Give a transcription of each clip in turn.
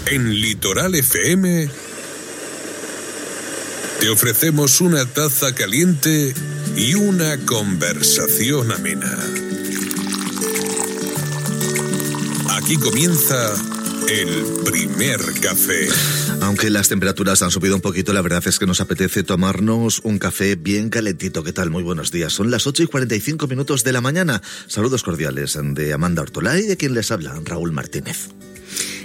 En Litoral FM te ofrecemos una taza caliente y una conversación amena. Aquí comienza el primer café. Aunque las temperaturas han subido un poquito, la verdad es que nos apetece tomarnos un café bien calentito. ¿Qué tal? Muy buenos días. Son las 8:45 de la mañana. Saludos cordiales de Amanda Ortolá y de quien les habla, Raúl Martínez.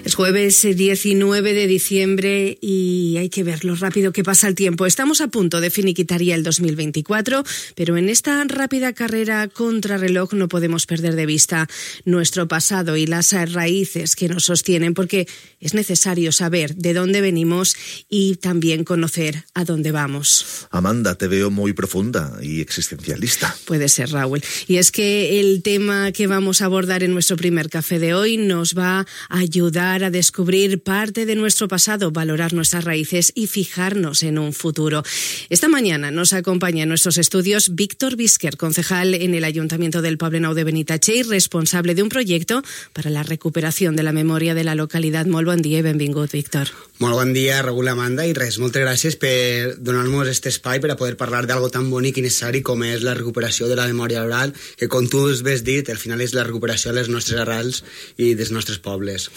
Es jueves 19 de diciembre y hay que ver lo rápido que pasa el tiempo. Estamos a punto de finiquitar ya el 2024, pero en esta rápida carrera contrarreloj no podemos perder de vista nuestro pasado y las raíces que nos sostienen, porque es necesario saber de dónde venimos y también conocer a dónde vamos. Amanda, te veo muy profunda y existencialista. Puede ser, Raúl. Y es que el tema que vamos a abordar en nuestro primer café de hoy nos va a ayudar a descubrir parte de nuestro pasado, valorar nuestras raíces y fijarnos en un futuro. Esta mañana nos acompaña en nuestros estudios Víctor Bisquer, concejal en el Ayuntamiento del Poblenou de Benitatxell, responsable de un proyecto para la recuperación de la memòria de la localitat. Molt bon dia i benvingut, Víctor. Molt bon dia, Raúl, Amanda, i res, moltes gràcies per donar-nos aquest espai per a poder parlar d'algo tan bonic i necessari com és la recuperació de la memòria oral, que com tu has dit, al final és la recuperació de les nostres arrels i dels nostres pobles.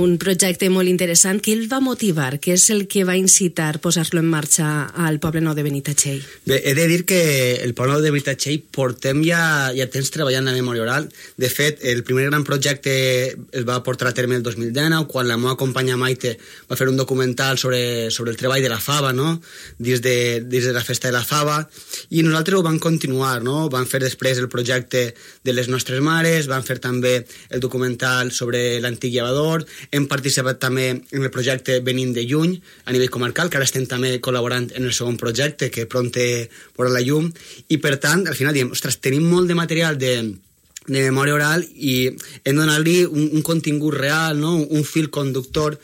Un projecte molt interessant. Què el va motivar? Què és el que va incitar a posar-lo en marxa al Poblenou de Benitatxell? Bé, he de dir que el Poblenou de Benitatxell portem ja temps treballant la memòria oral. De fet, el primer gran projecte es va portar a terme el 2019, quan la meva companya Maite va fer un documental sobre el treball de la fava, no? Dins de la festa de la fava, i nosaltres ho vam continuar, no? Vam fer després el projecte de les nostres mares, vam fer també el documental sobre l'antic llevador, hem participat també en el projecte Venim de Lluny a nivell comarcal, que ara estem també col·laborant en el segon projecte, que pront veurà la llum, i per tant, al final diem, ostres, tenim molt de material de memòria oral i hem de donar-li un contingut real, no? Un fil conductor,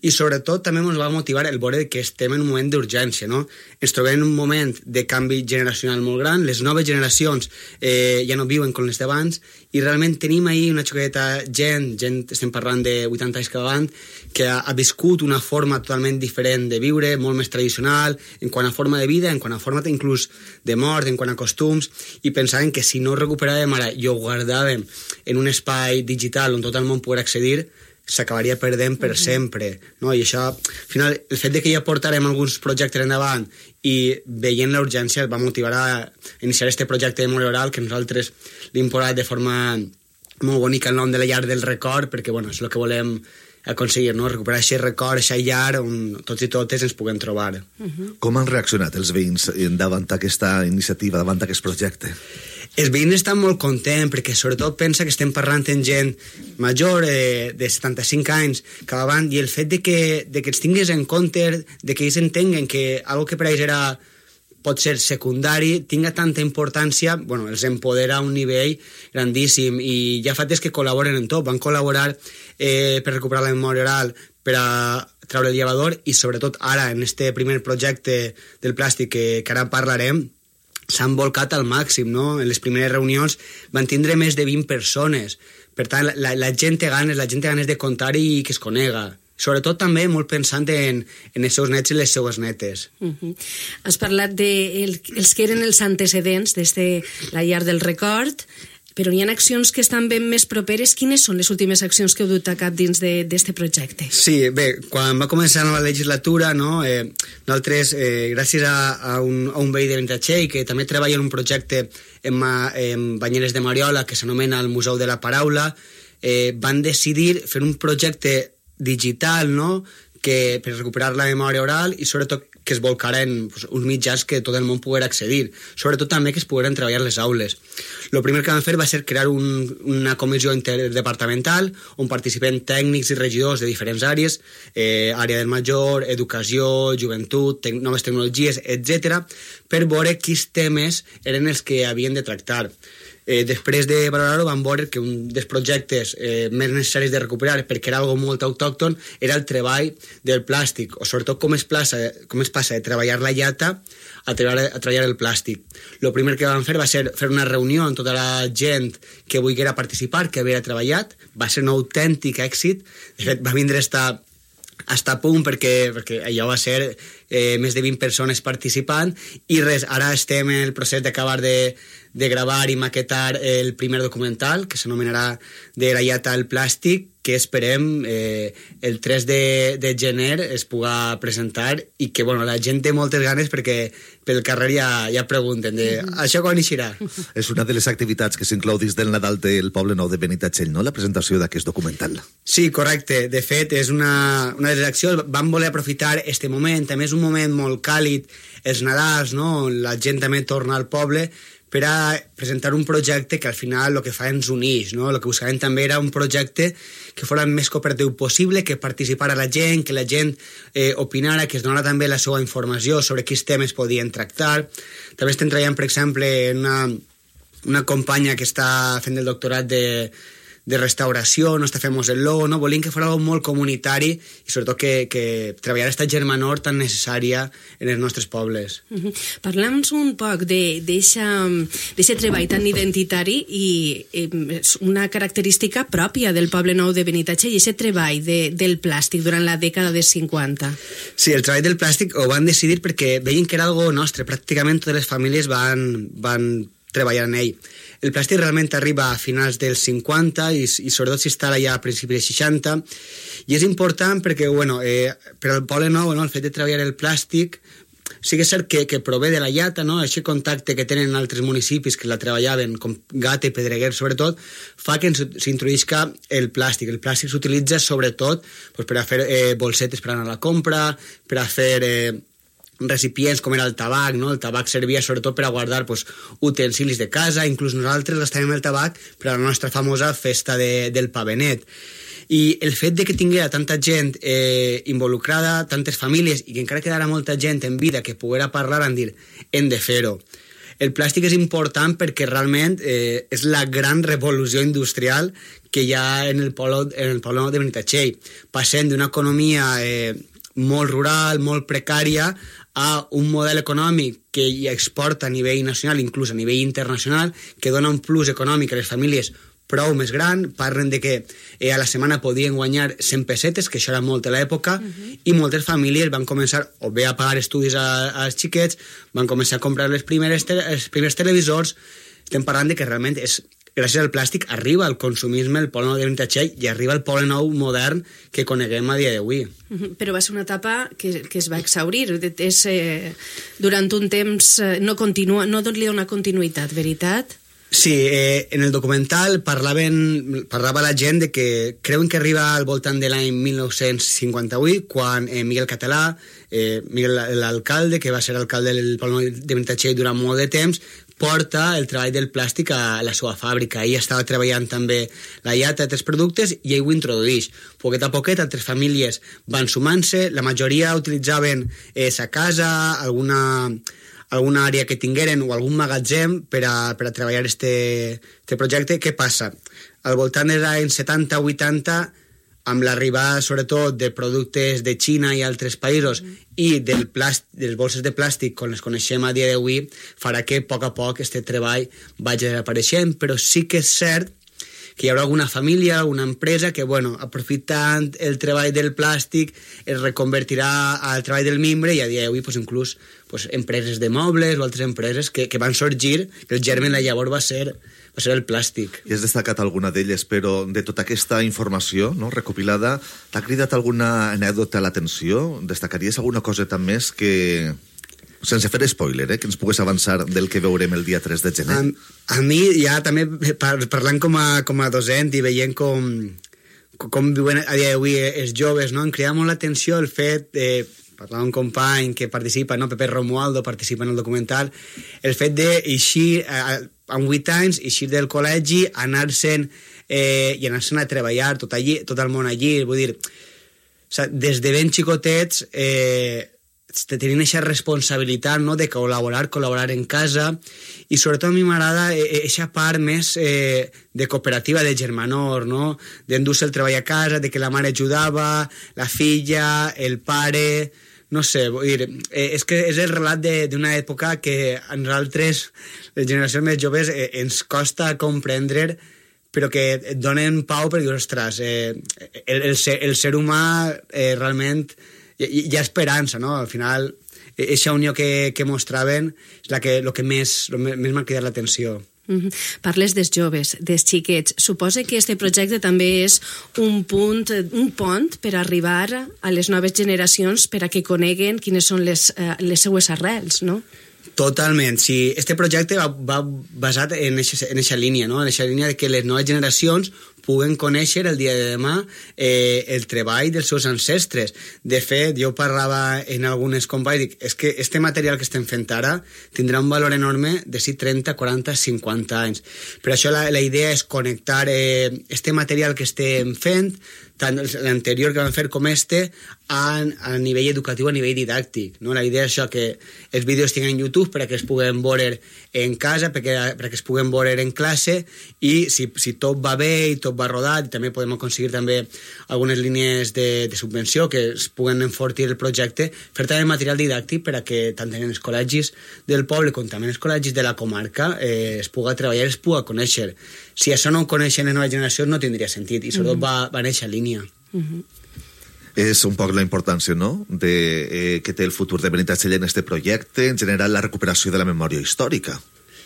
i sobretot també ens va motivar el veure que estem en un moment d'urgència, no? Ens trobem en un moment de canvi generacional molt gran, les noves generacions ja no viuen com les d'abans, i realment tenim ahir una xoqueta gent, estem parlant de 80 anys cada any, que ha viscut una forma totalment diferent de viure, molt més tradicional, en quant a forma de vida, en quant a forma inclús de mort, en quant a costums, i pensàvem que si no recuperàvem ara i ho guardàvem en un espai digital on tot el món pogués accedir, s'acabaria perdent per sempre, no? I això, al final, el fet de que ja portarem alguns projectes endavant i veient la urgència va motivar a iniciar este projecte de memòria oral, que nosaltres l'hem posat de forma molt bonica el nom de la llar del record, perquè bueno, és el que volem aconseguir, no? Recuperar aquest record, aquesta llar on tots i totes ens puguem trobar. Com han reaccionat els veïns davant aquesta iniciativa, davant aquest projecte? Els veïns estan molt contents perquè sobretot pensa que estem parlant amb gent major de 75 anys cada banda, i el fet de que els tinguis en compte, de que ells entenguen que algo que per ells pot ser secundari, tinga tanta importància, bueno, els empodera a un nivell grandíssim, i ja fa temps que col·laboren en tot, van col·laborar per recuperar la memòria oral, per a treure el llevador, i sobretot ara, en este primer projecte del plàstic que ara parlarem, s'han volcat al màxim, no? En les primeres reunions van tindre més de 20 persones. Per tant, la gent té ganes de contar i que es conega. Sobretot també molt pensant en els seus nets i les seues netes. Has parlat dels que eren els antecedents des de la llar del record, però hi ha accions que estan ben més properes. Quines són les últimes accions que heu dut a cap dins d'aquest projecte? Sí, bé, quan va començar la nova legislatura, no, nosaltres, gràcies a un veí de Benitatxell, que també treballa en un projecte en banyeres de Mariola, que s'anomena el Museu de la Paraula, van decidir fer un projecte digital, no?, que per recuperar la memòria oral, i sobretot que es volcaren uns mitjans que tot el món poguera accedir, sobretot també que es pogueren treballar les aules. El primer que van fer va ser crear una comissió interdepartamental on participen tècnics i regidors de diferents àrees, àrea del major, educació, joventut, noves tecnologies, etc., per veure quins temes eren els que havien de tractar. Després de valorar-ho vam veure que un dels projectes més necessaris de recuperar, perquè era algo molt autòcton, era el treball del plàstic, o sobretot com es passa de treballar la llata a treballar el plàstic. El primer que vam fer va ser fer una reunió amb tota la gent que volguera participar, que havia treballat. Va ser un autèntic èxit. De fet, va vindre a estar està a punt perquè allò va ser més de 20 persones participant i res, ara estem en el procés d'acabar de gravar i maquetar el primer documental que s'anomenarà De la llata al plàstic, que esperem el 3 de gener es puga presentar i que bueno, la gent té moltes ganes perquè pel carrer ja pregunten això quan eixirà. És una de les activitats que s'inclou dins del Nadal del Poble Nou de Benitatxell, no?, la presentació d'aquest documental. Sí, correcte. De fet, és una de les accions. Vam voler aprofitar este moment. També és un moment molt càlid, els Nadals, no?, on la gent també torna al poble, per a presentar un projecte que al final el que fa ens uneix, no? El que buscàvem també era un projecte que fos el més cooperatiu possible, que participara la gent, que la gent opinara, que es donara també la seva informació sobre quins temes podien tractar. També estem treballant, per exemple, en una companya que està fent el doctorat de restauració, no està fent el logo, no? Volíem que fos algo molt comunitari i sobretot que treballar aquesta germanor tan necessària en els nostres pobles. Parla'ns un poc d'aquest treball tan identitari i una característica pròpia del Poble Nou de Benitatxell, i aquest treball del plàstic durant la dècada dels 50. Sí, el treball del plàstic ho van decidir perquè veien que era algo nostre, pràcticament totes les famílies van treballar en ell. El plàstic realment arriba a finals dels 50 i sobretot s'instal·la ja a principis dels 60 i és important perquè, bueno, per al Poble Nou, no, el fet de treballar el plàstic sí que és cert que prové de la llata, no? Aquest contacte que tenen altres municipis que la treballaven, com Gata i Pedreguer sobretot, fa que s'introduïsca el plàstic. El plàstic s'utilitza sobretot per a fer bolsetes per anar a la compra, per a fer recipients com era el tabac, no? El tabac servia sobretot per a guardar utensilis de casa, inclús nosaltres gastàvem el tabac per a la nostra famosa festa del pavenet. I el fet de que tinguera tanta gent involucrada, tantes famílies, i que encara quedara molta gent en vida que poguera parlar, en dir, hem de fer-ho. El plàstic és important perquè realment és la gran revolució industrial que hi ha en el Poble Nou de Benitatxell. Passem d'una economia molt rural, molt precària, a un model econòmic que hi exporta a nivell nacional, inclús a nivell internacional, que dona un plus econòmic a les famílies prou més gran. Parlen de que a la setmana podien guanyar 100 pessetes, que això era molt a l'època, i moltes famílies van començar o bé a pagar estudis als xiquets, van començar a comprar els primers televisors. Estem parlant de que realment gràcies al plàstic arriba el consumisme al Poble Nou de Benitatxell i arriba el Poble Nou modern que coneguem a dia d'avui. Però va ser una etapa que es va exhaurir. Durant un temps no li dona continuïtat, veritat? Sí, en el documental parlava la gent de que creuen que arriba al voltant de l'any 1958, quan Miguel Català, l'alcalde, que va ser alcalde del Poble Nou de Benitatxell durant molt de temps, porta el treball del plàstic a la seva fàbrica. Ell estava treballant també la llata d'altres productes i ell ho introdueix. Poquet a poquet, altres famílies van sumant-se, la majoria utilitzaven sa casa, alguna àrea que tingueren o algun magatzem per a treballar este projecte. Què passa? Al voltant dels anys 70-80, amb l'arribada sobretot de productes de Xina i altres països i dels bolses de plàstic com les coneixem a dia d'avui, farà que a poc aquest treball vagi desapareixent, però sí que és cert que hi haurà alguna família, alguna empresa que, aprofitant el treball del plàstic, es reconvertirà al treball del mimbre i a dia d'avui inclús empreses de mobles o altres empreses que van sorgir, que el germen llavors va ser el plàstic. I has destacat alguna d'elles, però de tota aquesta informació, no, recopilada, t'ha cridat alguna anècdota a l'atenció? Destacaries alguna coseta més que, sense fer spoiler, que ens pogués avançar del que veurem el dia 3 de gener? A mi, ja també parlant com a docent i veient com viuen a dia d'avui els joves, no? Em crida molt l'atenció el fet de parlar d'un company que participa, no? Pepe Romualdo participa en el documental, el fet d'eixir amb 8 anys, eixir del col·legi, anar-se'n i anar-se'n a treballar tot el món allí, vull dir, des de ben xicotets tenint aquesta responsabilitat, no?, de col·laborar en casa, i sobretot a mi m'agrada aquesta part més de cooperativa de germanor, no?, d'endur-se el treball a casa, de que la mare ajudava, la filla, el pare, no sé, vull dir, és que és el relat d'una època que a nosaltres, les generacions més joves, ens costa comprendre però que et donen pau perquè dius, ostres, el ser humà realment hi ha esperança, no? Al final, aquesta unió que mostraven és el que més m'ha cridat l'atenció. Parles dels joves, dels xiquets. Suposa que este projecte també és un pont per arribar a les noves generacions per a que coneguen quines són les seues arrels, no? Totalment, sí. Este projecte va basat en aquesta línia, no? En aquesta línia de que les noves generacions puguen conèixer el dia de demà el treball dels seus ancestres. De fet, jo parlava en algunes companys i dic, és que este material que estem fent ara tindrà un valor enorme de 30, 40, 50 anys. Per això la idea és connectar este material que estem fent, tant l'anterior que vam fer com a nivell educatiu, a nivell didàctic, no? La idea és això, que els vídeos tinguin en YouTube per a que es puguen veure en casa, per a que es puguen veure en classe, i si tot va bé i tot va rodat, i també podem aconseguir també algunes línies de subvenció que es puguen enfortir el projecte, fer també material didàctic per a que tant en els col·legis del poble com també en els col·legis de la comarca es puga treballar, es puga conèixer. Si això no ho coneixen les noves generacions no tindria sentit, i sobretot va en aquesta línia. És un poc la importància, no?, que té el futur de Benitatxell en este projecte, en general la recuperació de la memòria històrica.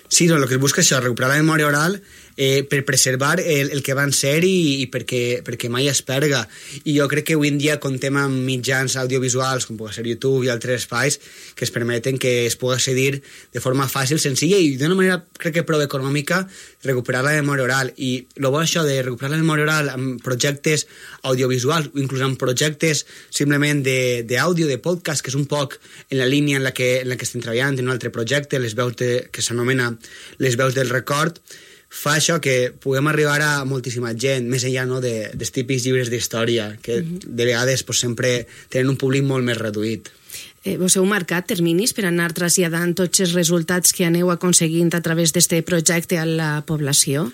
Sí, no, el que es busca és això, recuperar la memòria oral per preservar el que van ser i perquè mai es perga. I jo crec que avui en dia comptem amb mitjans audiovisuals, com pot ser YouTube i altres espais, que es permeten que es pugui accedir de forma fàcil, senzilla i d'una manera, crec que prou econòmica, recuperar la memòria oral. I el bo això de recuperar la memòria oral amb projectes audiovisuals o inclús amb projectes simplement d'àudio, de podcast, que és un poc en la línia en la que estem treballant, en un altre projecte, les veus que s'anomena Les veus del record, fa això que puguem arribar a moltíssima gent, més enllà, no, dels típics llibres d'història, que de vegades sempre tenen un públic molt més reduït. Vos heu marcat terminis per anar traslladant tots els resultats que aneu aconseguint a través d'aquest projecte a la població?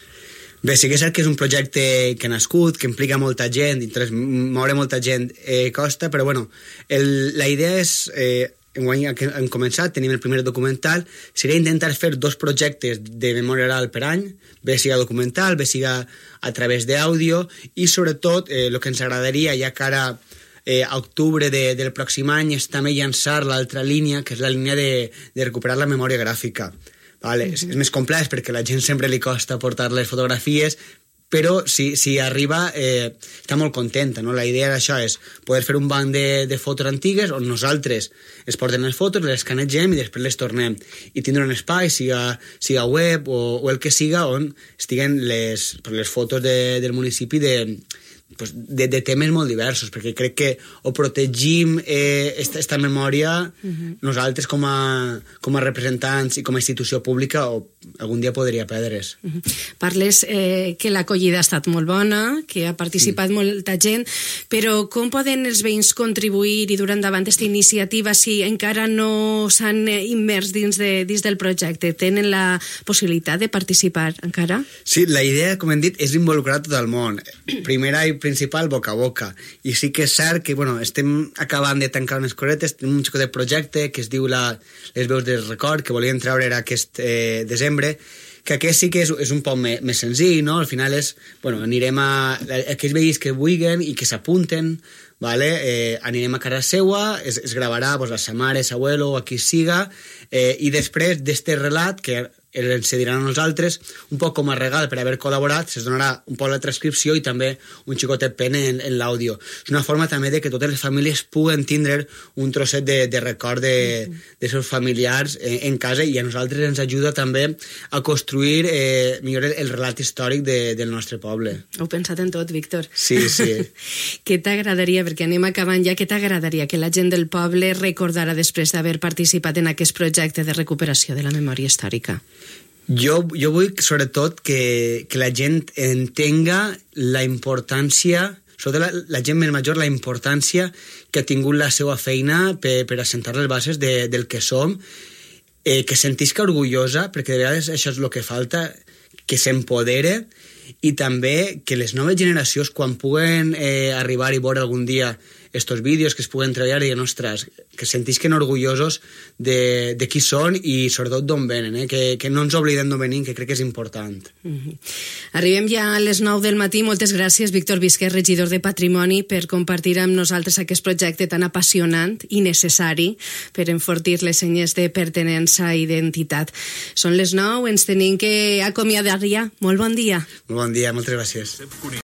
Bé, sí que és cert que és un projecte que ha nascut, que implica molta gent, i moure molta gent costa, però bueno, la idea és... Enguany que hem començat, tenim el primer documental, seria intentar fer 2 projectes de memòria oral per any, bé siga documental, bé siga a través d'àudio, i sobretot el que ens agradaria, ja que ara a octubre del pròxim any, és també llançar l'altra línia, que és la línia de recuperar la memòria gràfica. Vale? És més complex perquè a la gent sempre li costa portar les fotografies, però si arriba està molt contenta, no? La idea d'això és poder fer un banc de fotos antigues on nosaltres es porten les fotos, les escanegem i després les tornem, i tindre un espai, siga web o el que siga, on estiguen les fotos del municipi de temes molt diversos, perquè crec que o protegim esta memòria nosaltres com a representants i com a institució pública, o algun dia podria perdre's. Parles que l'acollida ha estat molt bona, que ha participat molta gent, però com poden els veïns contribuir i dur endavant aquesta iniciativa si encara no s'han immers dins del projecte? Tenen la possibilitat de participar encara? Sí, la idea, com hem dit, és involucrar tot el món. Primera i principal, boca a boca. I sí que és cert que estem acabant de tancar unes cosetes, tenim un xicot de projecte que es diu Les veus del record, que volíem treure aquest desembre, que aquest sí que és un poc més senzill, no? Al final és, anirem a aquells veïns que vulguin i que s'apunten, vale? Anirem a casa seua, es gravarà la sa mare, sa abuelo o a qui siga, i després d'este relat, que ens cediran a nosaltres, un poc com a regal per haver col·laborat, se'ns donarà un poc la transcripció i també un xicotet pen en l'àudio. És una forma també de que totes les famílies puguen tindre un trosset de record de seus familiars en casa, i a nosaltres ens ajuda també a construir millor el relat històric del nostre poble. Heu pensat en tot, Víctor. Sí. Què t'agradaria, perquè anem acabant ja, què t'agradaria que la gent del poble recordara després d'haver participat en aquest projecte de recuperació de la memòria històrica? Jo vull, sobretot, que la gent entenga la importància, sobretot la gent més major, la importància que ha tingut la seva feina per assentar les bases del que som, que sentisca orgullosa, perquè de vegades això és el que falta, que s'empodere, i també que les noves generacions, quan puguen arribar i veure algun dia estos vídeos, que es puguen treballar i, ostres, que sentisquen orgullosos de qui són i sobretot d'on venen, que no ens oblidem d'on venim, que crec que és important. Arribem ja a les 9 del matí. Moltes gràcies, Víctor Visquer, regidor de Patrimoni, per compartir amb nosaltres aquest projecte tan apassionant i necessari per enfortir les senyes de pertinença i d'identitat. Són les 9, ens tenim que acomiadar ja. Molt bon dia. Molt bon dia, moltes gràcies.